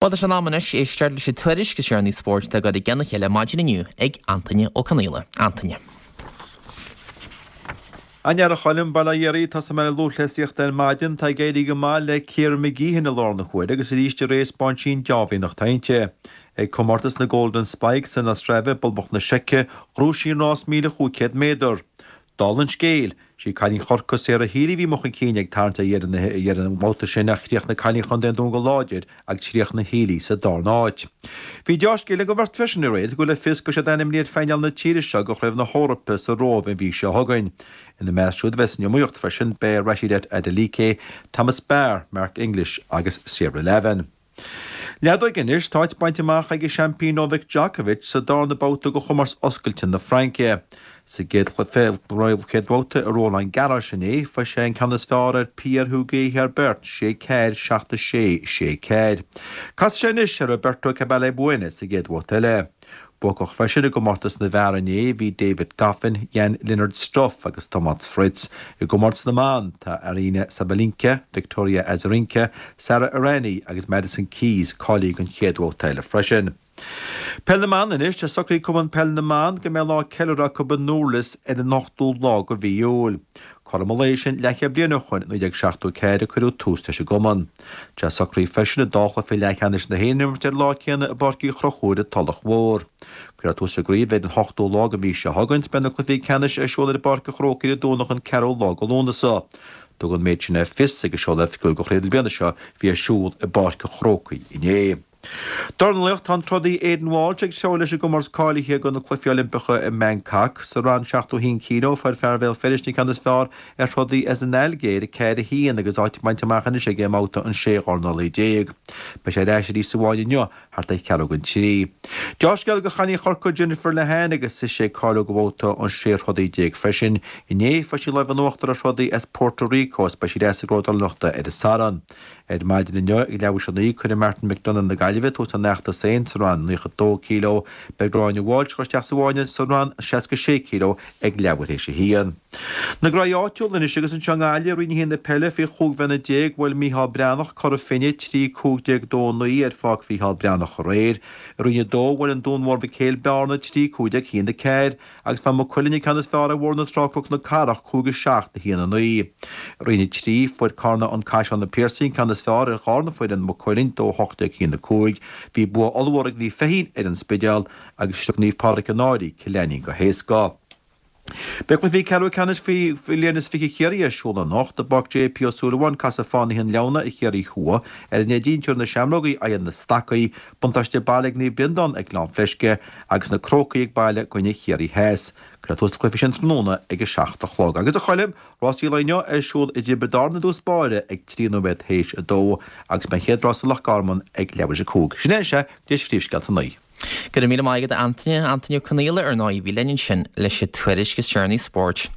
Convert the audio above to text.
Bhuel, tá sé in am anois éisteacht leis an tuairisc is deireanaí spóirt atá curtha i gcionn a chéile maidin inniu ag Antaine Ó Conaola. Antaine. A Choilm, bail ó Dhia oraibh, tosóidh mé le lúthchleasaíocht ar maidin. Tá ag éirí go maith le Ciara Mageean i láthair na huaire agus arís aréir 'spáin sí an deá-mhianach atá inti. Ag comórtas na Golden Spikes in Ostrava i bPoblacht na Seice, ghnóthaigh sí an rás 1,500 méadar. Dála an scéil, sí cailín Chorcaí Sarah Healy a bhí amuigh chun cinn ag tarraingt ar dheireadh an bhabhta sin ach chríochnaigh cailín Chontae an Dúin go láidir agus chríochnaigh Healy sa darna háit. Bhí deá-scéal ag an bheirt freisin aréir, tugadh le fios go bhfuil siad ainmnithe ar phainéal na tíre seo do Chraobh na hEorpa sa Róimh an mhí seo chugainn. Ina measc siúd a bheas san iomaíocht freisin beidh Rhasidat Adeleke, Thomas Barr, Mark English agus Sarah Lavin. Leadóg anois, tá áit bainte amach ag an seaimpín Novak Djokovic sa darna babhta de chomórtas Oscailte na Fraince. Sa gcéad chluiche, chéad bhabhta i Roland Garros inné, fuair sé an ceann is fearr ar Pierre-Hugues Herbert, 6 4, 7 6, 6 4. Casfaidh sé anois ar Roberto Carballés Baena sa gcéad bhabhta eile. Buacach freisin i gcomórtas na bhfear inné bhí David Goffin, Jan-Lennard Struff agus Tomas Fritz. I gcomórtas na mban tá Aryna Sabalenka, Victoria Azarenka, Sara Errani agus Madison Keys cáilithe don chéad bhabhta eile freisin. Peil na mBan anois, tá socraithe ag Cumann Peile na mBan go mbeidh lá ceiliúrtha acu i nDurlas ar an 8ú lá de mhí Iúil. Cothrom an lae sin leathchéad bliain ó shoin, 1974, a cuireadh tús leis an gcumann. Tá socraithe freisin an dá chluiche leathcheannais na hÉireann a imirt ar an lá céanna i bPáirc Uí Chonchúir i dTulach Mhór. Cuirfear tús leis an gcraobh ar an 8ú lá den mhí seo chugainn. Beidh na cluichí ceannais ar siúl ar an bPáirc an Chrócaigh ar an Domhnach an 4ú lá de Lúnasa. Tugadh an méid sin le fios ag an seoladh oifigiúil de chraobh na bliana seo a bhí ar siúl i bPáirc an Chrócaigh inné. Dornálaíocht, Tá an trodaí Aidan Walsh ag treabhadh leis i gcomórtas cáilithe do na Cluichí Oilimpeacha i mBangkok. Sa rang 71 kg, fuair fear Bhéal Feirste an ceann is fearr ar throdaí as an Ailgéir, 4, 1, agus áit bainte amach anois aige i mbabhta an 16 dhornálaí. Beidh sé ar ais arís sa bhfáinne inniu thart ar cheathrú don trí. Deá-scéal do chailín Chorcaí Jennifer Lehane agus ise ag cáiliú do bhabhta an 16 throdaí freisin. Inné, fuair sí lámh in uachtar ar throdaí as Puerto Rico agus beidh sí ar ais sa gcraobh dornálaíochta ar an Satharn. Ar maidin inniu ag leathuair théis a 9, cuirfidh Martin McDonagh na Gaillimhe tús lena fheachtas féin sa rang 92 kg. Beidh Gráinne Walsh ag dul isteach sa bhfáinne sa rang 66 kg ag leathuair théis a haon. Na graí áitiúla anois agus anseo i nGaillimh, Roinn 1 na peile faoi 15 bhliana, bhuail Micheál Breathnach, Cora Finne, 3 15 2 9 ar Pháirc Mhicheál Breathnach aréir. I Roinn 2, bhuail an Dún Mór Mhic Éil Bearna, 3 15 1 4. Agus fuair Maigh Cuilinn an ceann is fearr ar Bhóthar na Trá Cnoc na Cathrach, 5 7 1 9. I Roinn 3, fuair Carna An Caisleán Na Piarsaigh an ceann is fearr ar dharna foireann Maigh Cuilinn, 2 18 1 5. Bhí bua ollmhór ag Naomh Feichín ar An Spidéal agus shroich Naomh Pádraig An Fhairche Cill Ainnín go héasca. Beidh cluichí ceathrú ceannais faoi bhliain is 20 Chiarraí ar siúl anocht. I bPáirc JP Ó Súilleabháin, casfaidh Fánaithe an Leamhna ar Chiarraí Thuaidh. Ar an Neidín, tabharfaidh na Seamrógaí aghaidh ar na Stacaigh. Buntáiste baile ag Naomh Breandán ag Gleann Fleisce agus na Crócaigh ag baile i gcoinne Chiarraí Theas. Cuirfear tús le cluichí sin tráthnóna ag 7 a chlog. Agus a Choilm, rásaí an lae inniu ar siúl i dTiobraid Árann i dtús báire ag 3 nóiméad théis 2 agus beidh an chéad rás i Loch Garman ag leathuair théis 5. Sin é sea, go dtí phríomhscéalta 9. Go raibh míle maith agat a Antaine, Antaine Ó Conaola ar ndóigh a bhí linn ansin leis an tuairisc is deireanaí spóirt.